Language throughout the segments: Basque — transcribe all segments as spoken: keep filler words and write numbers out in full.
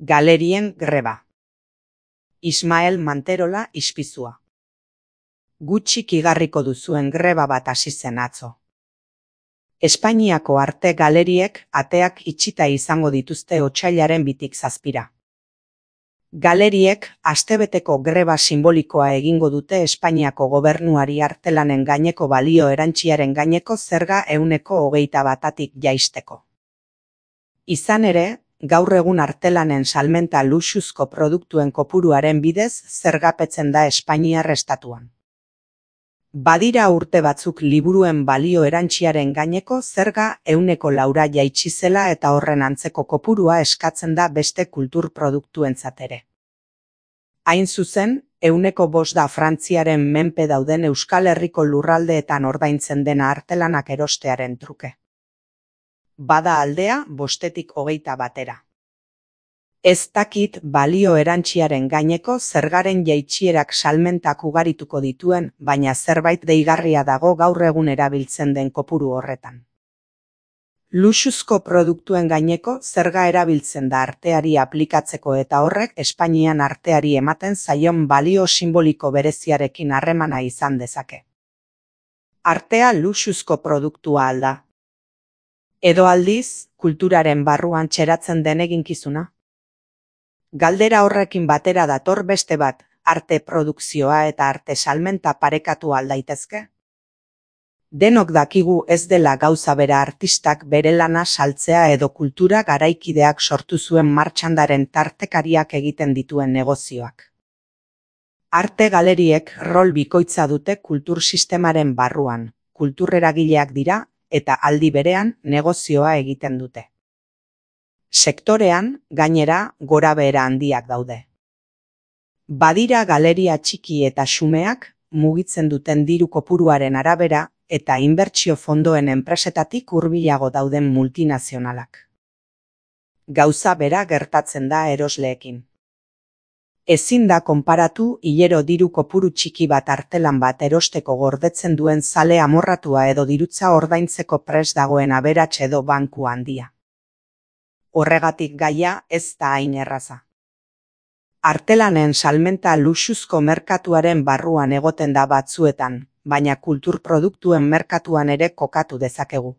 Galerien greba. Ismael Manterola ispizua. Gutxik igarriko duzuen greba bat hasi zen atzo. Espainiako arte galeriek ateak itxita izango dituzte otsailaren bitik zazpira. Galeriek astebeteko greba sinbolikoa egingo dute Espainiako gobernuari artelanen gaineko balio erantsiaren gaineko zerga ehuneko hogeita batatik jaisteko. Izan ere, gaur egun artelanen salmenta luxuzko produktuen kopuruaren bidez zergapetzen da Espainiar estatuan. Badira urte batzuk liburuen balio erantsiaren gaineko zerga ehuneko laura jaitsi zela eta horren antzeko kopurua eskatzen da beste kultur produktuentzat ere. Hain zuzen, ehuneko bost da Frantziaren menpe dauden Euskal Herriko lurraldeetan ordaintzen dena artelanak erostearen truke. Bada aldea bostetik hogeita batera. Ez dakit balio erantsiaren gaineko zergaren jaitsierak salmentak ugarituko dituen, baina zerbait deigarria dago gaur egun erabiltzen den kopuru horretan. Luxuzko produktuen gaineko zerga erabiltzen da arteari aplikatzeko eta horrek Espainian arteari ematen zaion balio simboliko bereziarekin harremana izan dezake. Artea luxuzko produktua alda. Edo aldiz, kulturaren barruan txeratzen den eginkizuna? Galdera horrekin batera dator beste bat, arte produkzioa eta arte salmenta parekatu aldaitezke? Denok dakigu ez dela gauza bera artistak bere lana saltzea edo kultura garaikideak sortu zuen martxandaren tartekariak egiten dituen negozioak. Arte galeriek rol bikoitza dute kultur sistemaren barruan, kultureragileak dira, eta aldi berean negozioa egiten dute. Sektorean, gainera, gorabehera handiak daude. Badira galeria txiki eta xumeak, mugitzen duten diru kopuruaren arabera, eta inbertsio fondoen enpresetatik hurbilago dauden multinazionalak. Gauza bera gertatzen da erosleekin. Ezin da konparatu hilero diru kopuru txiki bat artelan bat erosteko gordetzen duen zale amorratua edo dirutza ordaintzeko prest dagoen aberats edo banku handia. Horregatik gaia ez da hain erraza. Artelanen salmenta luxuzko merkatuaren barruan egoten da batzuetan, baina kultur produktuen merkatuan ere kokatu dezakegu.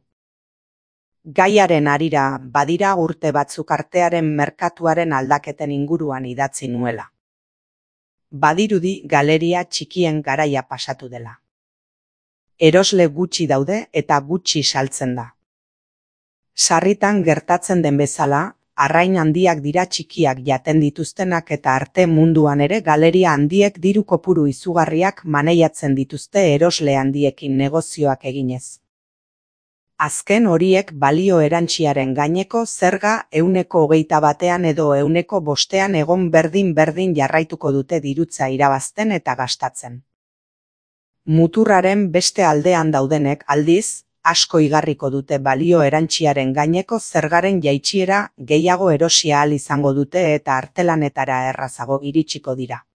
Gaiaren harira badira urte batzuk artearen merkatuaren aldaketen inguruan idatzi nuela. Badirudi galeria txikien garaia pasatu dela. Erosle gutxi daude eta gutxi saltzen da. Sarritan gertatzen den bezala, arrain handiak dira txikiak jaten dituztenak eta arte munduan ere galeria handiek diru kopuru izugarriak maneiatzen dituzte erosle handiekin negozioak eginez. Azken horiek balio erantsiaren gaineko zerga ehuneko hogeita batean edo ehuneko bostean egon berdin-berdin jarraituko dute dirutza irabazten eta gastatzen. Muturraren beste aldean daudenek aldiz, asko igarriko dute balio erantsiaren gaineko zergaren jaitsiera gehiago erosi ahal izango dute eta artelanetara errazago iritsiko dira.